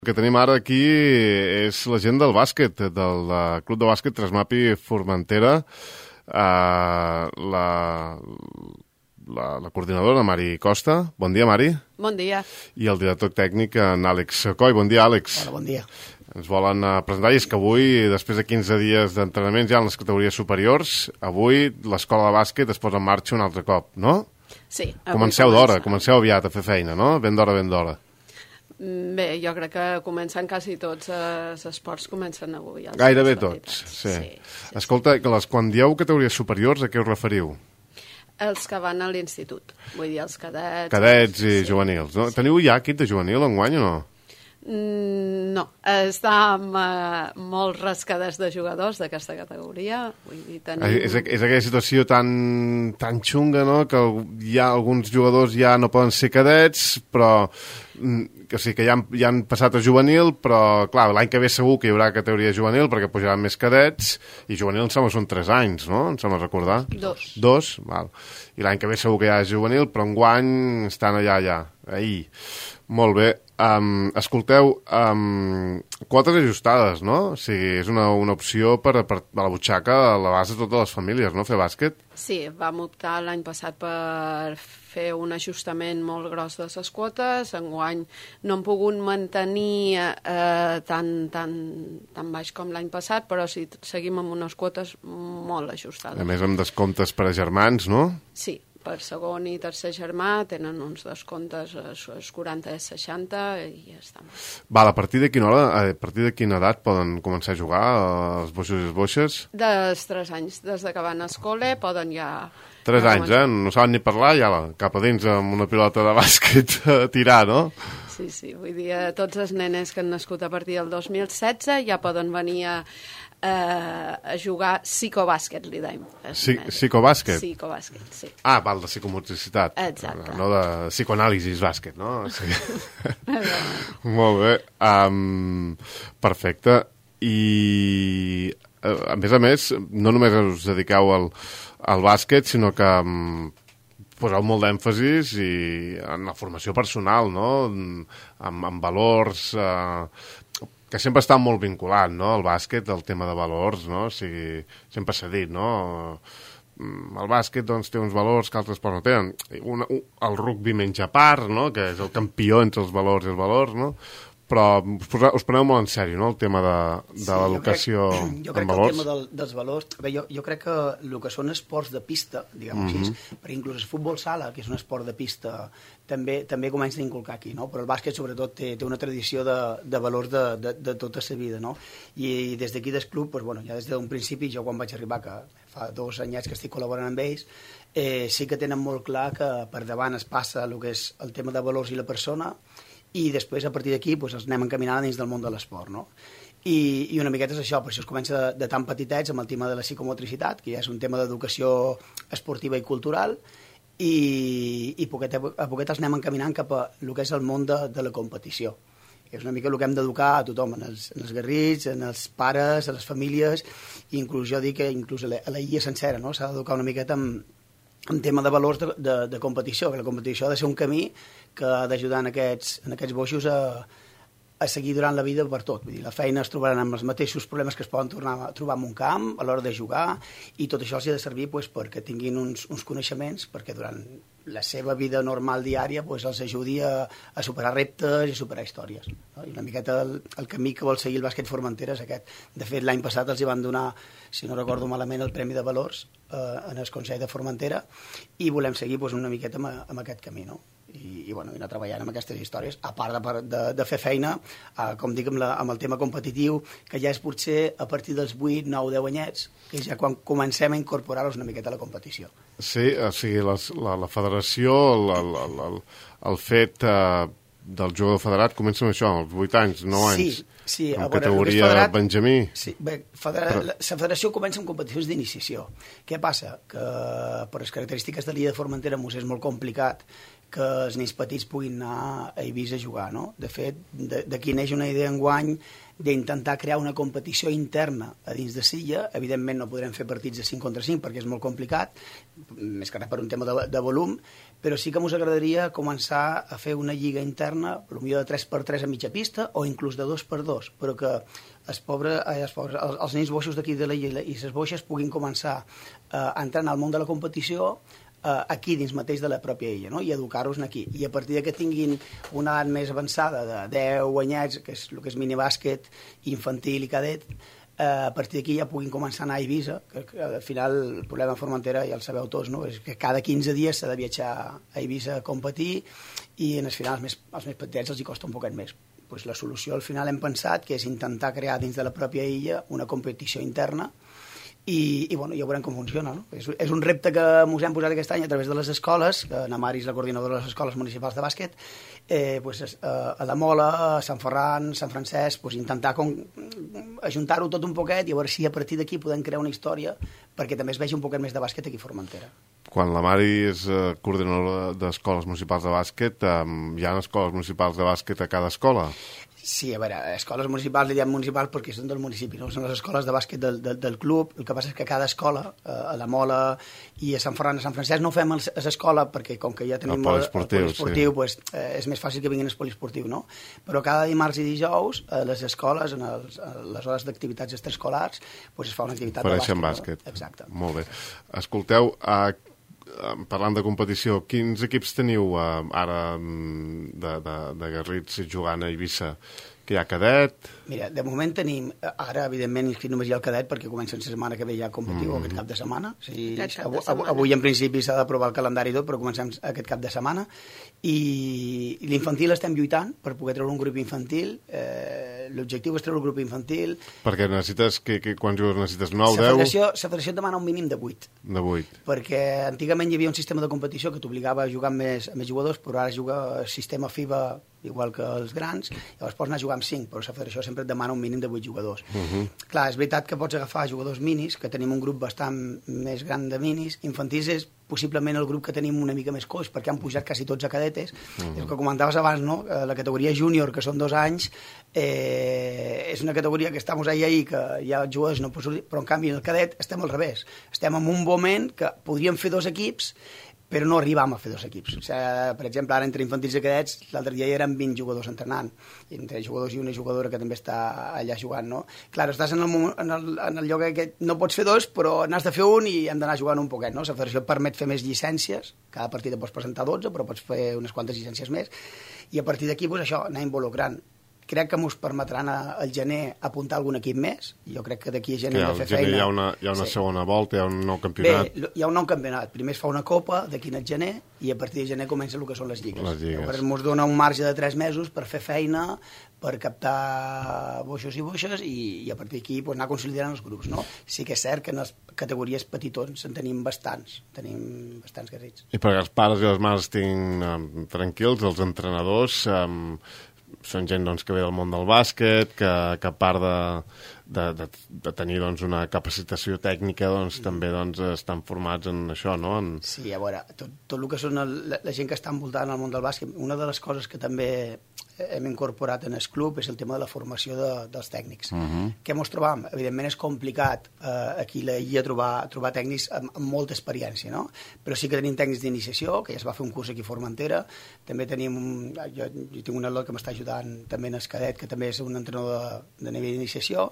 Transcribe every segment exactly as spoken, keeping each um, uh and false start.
El que tenim ara aquí és la gent del bàsquet, del Club de Bàsquet Tresmapi Formentera, uh, la, la, la coordinadora Mari Costa. Bon dia, Mari. Bon dia. I el director tècnic, en Àlex Coll. Bon dia, Àlex. Hola, bon dia. Ens volen uh, presentar, i és que avui, després de quinze dies d'entrenaments ja en les categories superiors, avui l'escola de bàsquet es posa en marxa un altre cop, no? Sí. Comenceu d'hora, comenceu aviat a fer feina, no? Ben d'hora, ben d'hora. Bé, jo crec que comencen quasi tots els esports, comencen avui. Gairebé tots, sí. sí, sí. Escolta, que les, quan dieu categories superiors, a què us referiu? Els que van a l'institut, vull dir, els cadets... Cadets i sí. juvenils, no? Teniu ja equip de juvenil enguany o no? Mm, no, està amb uh, molts rascades de jugadors d'aquesta categoria. Vull dir, tenim... És, és aquella situació tan, tan xunga, no?, que hi ha alguns jugadors ja no poden ser cadets, però... O sigui, que ja han, ja han passat a juvenil, però, clar, l'any que ve segur que hi haurà categoria juvenil perquè pujaran més cadets, i juvenil em sembla que són tres anys, no? Em sembla recordar. Dos. Dos, val. I l'any que ve segur que hi ha juvenil, però enguany estan allà, allà, ahir. Molt bé. Um, escolteu, um, quotes ajustades, no? O sigui, és una, una opció per, per a la butxaca a la base de totes les famílies, no?, fer bàsquet. Sí, vam optar l'any passat per fer un ajustament molt gros de les quotes. Enguany no hem pogut mantenir eh, tan, tan, tan baix com l'any passat, però sí, seguim amb unes quotes molt ajustades. A més, amb descomptes per a germans, no? Sí, per segon i tercer germà tenen uns descomptes als quaranta i seixanta i ja està. Val, a partir de quina hora, a partir de quina edat poden començar a jugar els boixos i les boixes? Dels tres anys, des de que van a escola poden ja... Tres anys, eh? No saben ni parlar, ja cap a dins amb una pilota de bàsquet a tirar, no? Sí, sí, vull dir, tots els nenes que han nascut a partir del dos mil setze ja poden venir a, a jugar psicobàsquet, li dèiem. Sí, psicobàsquet? Psicobàsquet, sí. Ah, val, de psicomotricitat. Exacte. No de psicoanàlisis bàsquet, no? Sí. Molt bé. Um, perfecte. I, a més a més, no només us dediqueu al, al bàsquet, sinó que um, poseu molt d'èmfasis i en la formació personal, no? Amb, amb valors... Uh, que sempre està molt vinculat, no?, el bàsquet, el tema de valors, no? O sigui, sempre s'ha dit, no?, el bàsquet, doncs, té uns valors que altres esports no tenen. Una, un, el rugby menja part, no?, que és el campió entre els valors i els valors, no?, però us, poseu, us preneu molt en sèrio, no?, el tema de, de sí, l'educació en valors. Jo crec que el tema del, dels valors... Bé, jo, jo crec que el que són esports de pista, diguem-ho mm -hmm. així, perquè inclús el futbol sala, que és un esport de pista, també també comença a inculcar aquí, no? Però el bàsquet, sobretot, té, té una tradició de, de valors de, de, de tota la vida, no? I, i des d'aquí del club, doncs, bueno, ja des d'un principi, jo quan vaig arribar, que fa dos anyets que estic col·laborant amb ells, eh, sí que tenen molt clar que per davant es passa el que és el tema de valors i la persona, i després, a partir d'aquí, doncs, els anem encaminant dins del món de l'esport, no? I, i una miqueta és això, per això es comença de, de tan petitets amb el tema de la psicomotricitat, que ja és un tema d'educació esportiva i cultural, i, i poquet a poquet els anem encaminant cap a el que és el món de, de la competició. És una mica el que hem d'educar a tothom, en els, en els guerrits, en els pares, a les famílies, i inclús jo dic que inclús a la, a la illa sencera, no? S'ha d'educar una miqueta amb, en tema de valors de, de, de competició, que la competició ha de ser un camí que ha d'ajudar en aquests, en aquests boixos a, a seguir durant la vida per tot. Vull dir, la feina es trobaran amb els mateixos problemes que es poden tornar a trobar en un camp a l'hora de jugar, i tot això els ha de servir pues, perquè tinguin uns, uns coneixements, perquè durant la seva vida normal diària pues, els ajudi a, a superar reptes i a superar històries. No? I una miqueta el, el camí que vol seguir el bàsquet Formentera és aquest. De fet, l'any passat els hi van donar, si no recordo malament, el Premi de Valors eh, en el Consell de Formentera, i volem seguir pues, una miqueta amb, amb aquest camí, no? I, i, bueno, i anar treballant amb aquestes històries, a part de, de, de fer feina, eh, com dic, amb, la, amb el tema competitiu, que ja és potser a partir dels vuit, nou, deu anyets, que és ja quan comencem a incorporar-los una miqueta a la competició. Sí, o sigui, les, la, la federació, el, el, el, el fet eh, del jugador federat comença amb això, als vuit anys, nou anys, sí, sí, en veure, categoria federat, Benjamí. Sí, bé, federa, Però... la, la federació comença amb competicions d'iniciació. Què passa? Que per les característiques de l'illa de Formentera mos és molt complicat que els nens petits puguin anar a Eivissa a jugar, no? De fet, d'aquí neix una idea enguany d'intentar crear una competició interna a dins de Silla. Evidentment no podrem fer partits de cinc contra cinc perquè és molt complicat, més que res per un tema de, de volum, però sí que ens agradaria començar a fer una lliga interna, potser de tres per tres a mitja pista o inclús de dos per dos, però que els, pobres, els, pobres, els, els nens boixos d'aquí de la Illa i les boixes puguin començar a entrar en el món de la competició aquí dins mateix de la pròpia illa, no? I educar-los aquí. I a partir que tinguin una edat més avançada de deu anyets, que és el que és minibàsquet, infantil i cadet, a partir d'aquí ja puguin començar a anar a Eivissa, que, que al final el problema de Formentera ja el sabeu tots, no? És que cada quinze dies s'ha de viatjar a Eivissa a competir i en el final els més, els més petits els hi costa un poquet més. Pues la solució al final hem pensat que és intentar crear dins de la pròpia illa una competició interna i, i bueno, ja veurem com funciona, no? És, és un repte que ens hem posat aquest any a través de les escoles, que na Mari és la coordinadora de les escoles municipals de bàsquet, eh, pues, eh, a la Mola, a Sant Ferran, Sant Francesc, pues, intentar com, ajuntar-ho tot un poquet i a veure si a partir d'aquí podem crear una història perquè també es vegi un poquet més de bàsquet aquí a Formentera. Quan la Mari és eh, coordinadora d'escoles municipals de bàsquet, eh, hi ha escoles municipals de bàsquet a cada escola? Sí, a veure, escoles municipals, li diem municipals perquè són del municipi, no? Són les escoles de bàsquet del, del, del club. El que passa és que cada escola, a la Mola i a Sant Ferran, a Sant Francesc, no fem a l'escola perquè com que ja tenim el poliesportiu, el poliesportiu sí. Pues, eh, és més fàcil que vinguin al poliesportiu, no? Però cada dimarts i dijous, a les escoles, en els, a les hores d'activitats extraescolars, pues es fa una activitat Ofereixen de bàsquet. bàsquet. No? Exacte. Molt bé. Escolteu, uh, parlant de competició, quins equips teniu uh, ara de, de, de Garrits jugant a Eivissa? Que hi ha cadet? Mira, de moment tenim, ara evidentment inscrit només hi ha el cadet perquè comença la setmana que ve ja competiu, mm. aquest cap de setmana. O sigui, cap de avui, setmana. Avui en principi s'ha d'aprovar el calendari i tot, però comencem aquest cap de setmana. I, i l'infantil estem lluitant per poder treure un grup infantil. Eh, L'objectiu és treure un grup infantil. Perquè necessites, que, que, quants jugadors necessites? nou, deu? La deu? federació demana un mínim de vuit. De vuit. Perquè antigament hi havia un sistema de competició que t'obligava a jugar amb més, amb més jugadors, però ara juga el sistema FIBA igual que els grans, llavors pots anar a jugar amb cinc, però la federació sempre et demana un mínim de vuit jugadors. Uh -huh. Clar, és veritat que pots agafar jugadors minis, que tenim un grup bastant més gran de minis. Infantils és possiblement el grup que tenim una mica més coix, perquè han pujat quasi tots a cadetes. Uh -huh. El que comentaves abans, no? La categoria júnior, que són dos anys, eh, és una categoria que estem ahí, ahí, que hi ha jugadors, no, però en canvi en el cadet estem al revés. Estem en un moment que podríem fer dos equips, però no arribam a fer dos equips. O sigui, per exemple, ara entre infantils i cadets, l'altre dia hi eren vint jugadors entrenant, i entre jugadors i una jugadora que també està allà jugant, no? Clar, estàs en el, en el, en el lloc que no pots fer dos, però n'has de fer un i hem d'anar jugant un poquet, no? La federació permet fer més llicències, cada partida pots presentar dotze, però pots fer unes quantes llicències més, i a partir d'aquí, doncs, això, anar involucrant. Crec que ens permetran al gener apuntar algun equip més. Jo crec que d'aquí a gener hem de fer feina. Hi ha una, hi ha una sí. segona volta, hi ha un nou campionat. Bé, hi ha un nou campionat. Primer es fa una copa d'aquí al gener i a partir de gener comença el que són les lligues. Les lligues. Llavors ens dona un marge de tres mesos per fer feina, per captar boixos i boixes i, i a partir d'aquí pues, anar consolidant els grups. No? Sí que és cert que en les categories petitons en tenim bastants. Tenim bastants Garrits. I perquè els pares i les mares estiguin um, tranquils, els entrenadors... Um, són gent doncs, que ve del món del bàsquet, que, que a part de, de, de, de tenir doncs, una capacitació tècnica doncs, mm. també doncs, estan formats en això, no? En... Sí, a veure, tot, tot el que són el, la, la gent que està envoltada en el món del bàsquet, una de les coses que també hem incorporat en el club és el tema de la formació de, dels tècnics. Uh-huh. Què ens trobam? Evidentment és complicat eh, aquí a l'illa trobar, trobar tècnics amb, amb molta experiència, no? Però sí que tenim tècnics d'iniciació, que ja es va fer un curs aquí a Formentera, també tenim, jo, jo tinc un atleta que m'està ajudant també en el cadet, que també és un entrenador de, de nivell d'iniciació.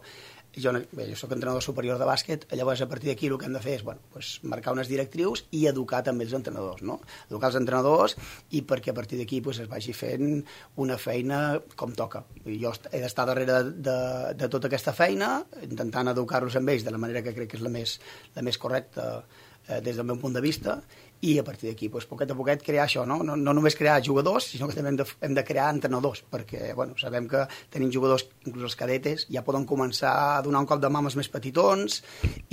Jo, bé, jo soc entrenador superior de bàsquet, llavors a partir d'aquí el que hem de fer és bueno, pues, marcar unes directrius i educar també els entrenadors, no? Educar els entrenadors i perquè a partir d'aquí pues, es vagi fent una feina com toca. Jo he d'estar darrere de, de, de tota aquesta feina, intentant educar-los amb ells de la manera que crec que és la més, la més correcta eh, des del meu punt de vista, i a partir d'aquí, doncs, poquet a poquet, crear això, no? No, no només crear jugadors, sinó que també hem de, hem de crear entrenadors, perquè, bueno, sabem que tenim jugadors, inclús els cadetes, ja poden començar a donar un cop de mà als més petitons,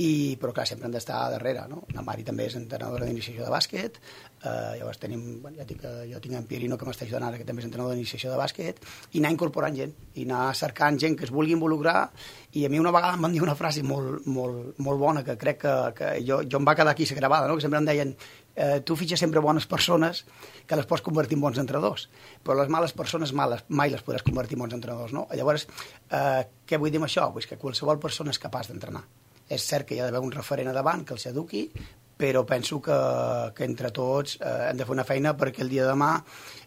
i, però clar, sempre hem d'estar darrere, no? La Mari també és entrenadora d'iniciació de bàsquet, eh, llavors tenim, bueno, ja tinc, jo tinc en Pierino que m'està ajudant ara, que també és entrenador d'iniciació de bàsquet, i anar incorporant gent, i anar cercant gent que es vulgui involucrar, i a mi una vegada em van dir una frase molt, molt, molt bona, que crec que, que jo, jo em va quedar aquí gravada, no? Que sempre em deien eh, tu fitxes sempre bones persones que les pots convertir en bons entrenadors, però les males persones males mai les podràs convertir en bons entrenadors, no? Llavors, eh, què vull dir amb això? Pues que qualsevol persona és capaç d'entrenar. És cert que hi ha d'haver un referent a davant que els eduqui, però penso que, que entre tots eh, hem de fer una feina perquè el dia de demà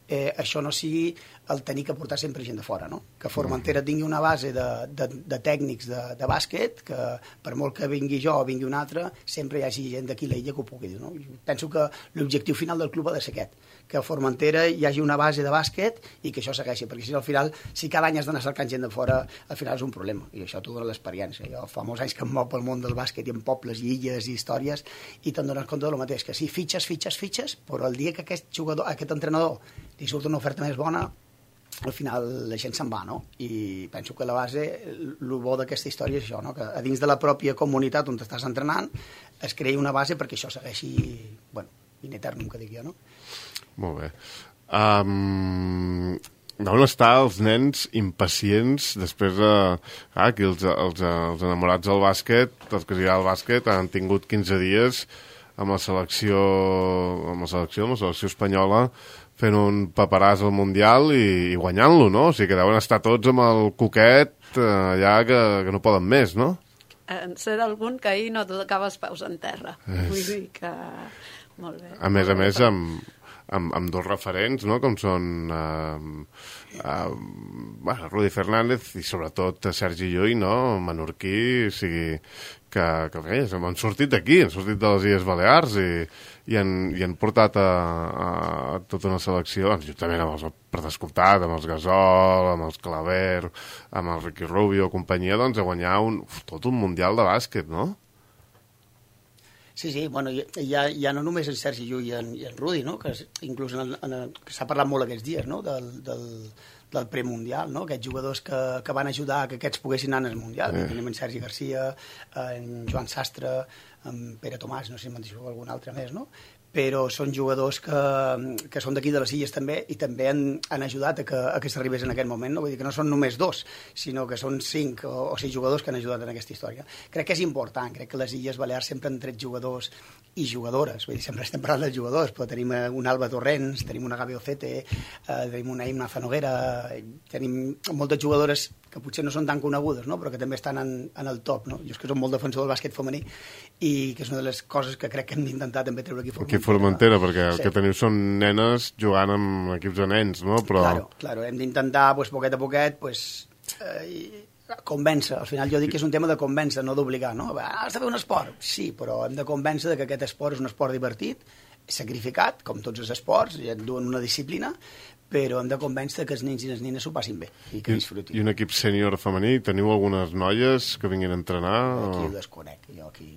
eh, això no sigui el tenir que portar sempre gent de fora, no? Que Formentera tingui una base de, de, de tècnics de, de bàsquet, que per molt que vingui jo o vingui un altre, sempre hi hagi gent d'aquí l'illa que ho pugui dir, no? Penso que l'objectiu final del club ha de ser aquest, que a Formentera hi hagi una base de bàsquet i que això segueixi, perquè si al final, si cada any has d'anar cercant gent de fora, al final és un problema, i això t'ho dona l'experiència. Jo fa molts anys que em mou pel món del bàsquet i en pobles i illes i històries, i te'n dones compte del mateix, que sí, fitxes, fitxes, fitxes, però el dia que aquest jugador, aquest entrenador li surt una oferta més bona, al final la gent se'n va, no? I penso que la base, el bo d'aquesta història és això, no? Que a dins de la pròpia comunitat on t'estàs entrenant es creï una base perquè això segueixi, bueno, in eternum, que dic jo, no? Molt bé. Um, on estan els nens impacients després de... Ah, aquí els, els, els enamorats del bàsquet, els que s'hi ha al bàsquet, han tingut quinze dies amb la selecció, amb la selecció, amb la selecció espanyola, fent un paperàs al Mundial i, i guanyant-lo, no? O sigui que deuen estar tots amb el coquet eh, allà que, que no poden més, no? En sé d'algun que ahir no tocava els peus en terra. Es... Vull dir que... Molt bé. A més a més, amb, amb, amb dos referents, no?, com són uh, uh, bueno, Rudi Fernández i sobretot Sergi Llull, no?, menorquí, o sigui, que, que bé, han sortit d'aquí, han sortit de les Illes Balears i, i, han, i han portat a, a tota una selecció, juntament amb els, per descomptat, amb els Gasol, amb els Claver, amb el Ricky Rubio, companyia, doncs a guanyar un, uf, tot un mundial de bàsquet, no? Sí, sí, bueno, ja, ja no només en Sergi Llull i en, i en Rudi, no? Que inclús en el, en el, que s'ha parlat molt aquests dies, no? Del, del, del premundial, no? Aquests jugadors que, que van ajudar que aquests poguessin anar al Mundial. Sí. Tenim en Sergi Garcia, en Joan Sastre, en Pere Tomàs, no sé si me'n deixo algun altre més, no? Però són jugadors que, que són d'aquí de les Illes també i també han, han ajudat a que, a que s'arribés en aquest moment, no? Vull dir que no són només dos, sinó que són cinc o, o sis jugadors que han ajudat en aquesta història. Crec que és important, crec que les Illes Balears sempre han tret jugadors i jugadores, vull dir, sempre estem parlant dels jugadors, però tenim un Alba Torrents, tenim una Gabi Ocete, eh, tenim una Imna Zanoguera, tenim moltes jugadores que potser no són tan conegudes, no? Però que també estan en, en el top, no? Jo és que som molt defensor del bàsquet femení i que és una de les coses que crec que hem d'intentar també treure aquí a Formentera. Aquí a Formentera, perquè el sí. que teniu són nenes jugant amb equips de nens, no? Però... Claro, claro, hem d'intentar, pues, poquet a poquet, pues, eh, convèncer. Al final jo dic que és un tema de convèncer, no d'obligar, no? Has de fer un esport? Sí, però hem de convèncer que aquest esport és un esport divertit, sacrificat, com tots els esports, i et duen una disciplina, però hem de convèncer que els nens i les nines s'ho passin bé i que disfrutin. I un equip sènior femení, teniu algunes noies que vinguin a entrenar? Aquí o... ho desconec, jo aquí...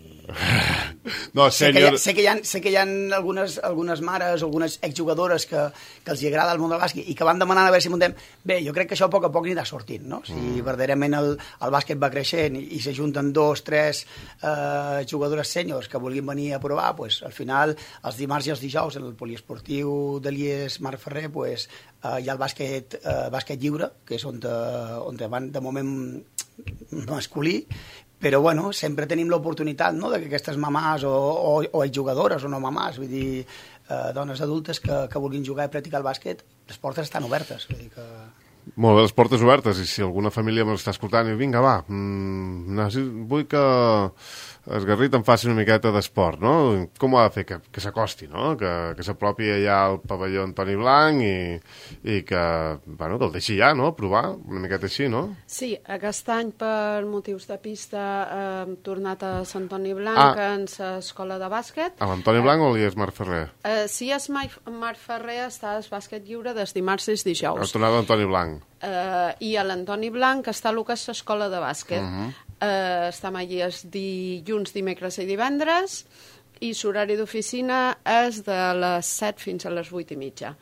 no, sènior... sé, que hi ha, sé que hi ha, sé que hi ha algunes, algunes mares o algunes exjugadores que, que els agrada el món del bàsquet i que van demanant a veure si muntem... Bé, jo crec que això a poc a poc anirà sortint, no? Si mm. verdaderament el, el bàsquet va creixent i, i s'ajunten dos, tres eh, jugadores sèniors que vulguin venir a provar, pues, al final, els dimarts i els dijous, en el poliesportiu de l'I E S Marc Ferrer, pues, Uh, hi ha el bàsquet, uh, bàsquet lliure, que és on, te, on te van de moment masculí, però bueno, sempre tenim l'oportunitat, no?, de que aquestes mamàs o, o, o jugadores o no mamàs, vull dir, uh, dones adultes que, que vulguin jugar i practicar el bàsquet, les portes estan obertes, vull dir que... Molt bé, les portes obertes, i si alguna família m'està escoltant i vinga, va, mmm, vull que el Garrit em faci una miqueta d'esport, no? Com ho ha de fer? Que, que s'acosti, no? Que, que s'apropi allà al pavelló Antoni Blanc i, i que, bueno, que el deixi ja, no? Provar, una miqueta així, no? Sí, aquest any per motius de pista eh, hem tornat a Sant Antoni Blanc ah. en l'escola de bàsquet. A l'Antoni Blanc eh, o l'I E S Marc Ferrer? Eh, si és Marc Ferrer està el bàsquet lliure des dimarts i dijous. Ha tornat a l'Antoni Blanc. Uh, i a l'Antoni Blanc està el que és l'escola de bàsquet. Uh -huh. uh, estem allí els dilluns, dimecres i divendres i l'horari d'oficina és de les set fins a les vuit i mitja.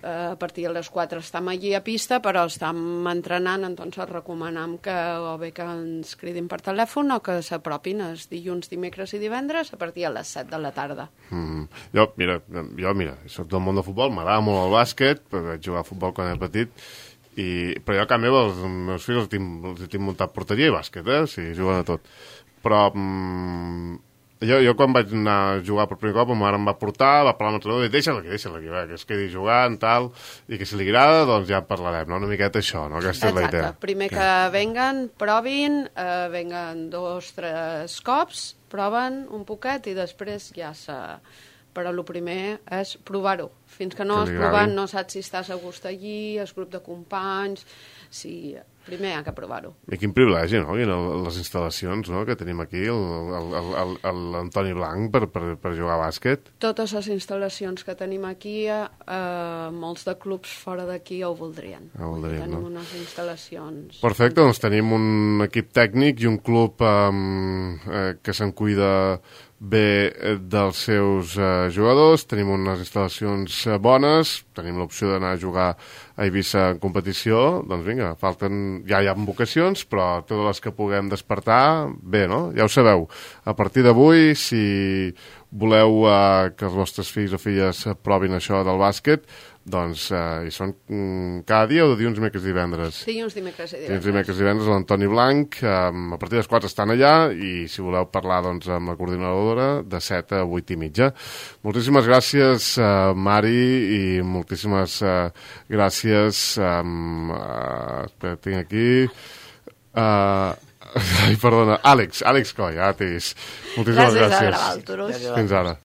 Uh, a partir de les quatre estem allí a pista, però estem entrenant, doncs recomanem que o bé que ens cridin per telèfon o que s'apropin els dilluns, dimecres i divendres a partir de les set de la tarda. Mm. Jo, mira, jo, mira, soc del món del futbol, m'agrada molt el bàsquet, perquè vaig jugar a futbol quan era petit. I, però jo a casa meva els meus fills els tinc, els tinc muntat porteria i bàsquet, eh? O sigui, juguen a tot, però mm, Jo, jo quan vaig anar a jugar per primer cop, ma mare em va portar, va parlar amb l'entrenador i deixa-la aquí, deixa-la aquí, va, que es quedi jugant, tal, i que si li agrada, doncs ja en parlarem, no? Una miqueta això, no? Aquesta és la idea. Exacte, primer que venguen, provin, eh, venguen dos, tres cops, proven un poquet i després ja se... Però el primer és provar-ho. Fins que no has provat no saps si estàs a gust allí, el grup de companys... Si... Primer hi ha que provar-ho. I quin privilegi, no? I les instal·lacions, no?, que tenim aquí, l'Antoni Blanc per, per, per jugar a bàsquet. Totes les instal·lacions que tenim aquí, eh, molts de clubs fora d'aquí ho voldrien. Ho voldrien, tenim no? unes instal·lacions... Perfecte, doncs tenim un equip tècnic i un club eh, que se'n cuida bé dels seus eh, jugadors, tenim unes instal·lacions eh, bones, tenim l'opció d'anar a jugar a Eivissa en competició, doncs vinga, falten, ja hi ha vocacions, però totes les que puguem despertar, bé, no? Ja ho sabeu, a partir d'avui, si voleu eh, que els vostres fills o filles provin això del bàsquet, doncs eh, hi són mm, cada dia o de dilluns, dimecres i divendres? Dilluns, dimecres i divendres. Dilluns, dimecres i divendres, l'Antoni Blanc, eh, a partir de les quatre estan allà i si voleu parlar doncs, amb la coordinadora de set a vuit i mitja. Moltíssimes gràcies, eh, Mari, i moltíssimes eh, gràcies, eh, eh, espera, tinc aquí... Eh, ai, perdona, Àlex, Àlex Coll, ja t'he vist. Moltíssimes gràcies. Gràcies a Graval, Turus. Fins ara.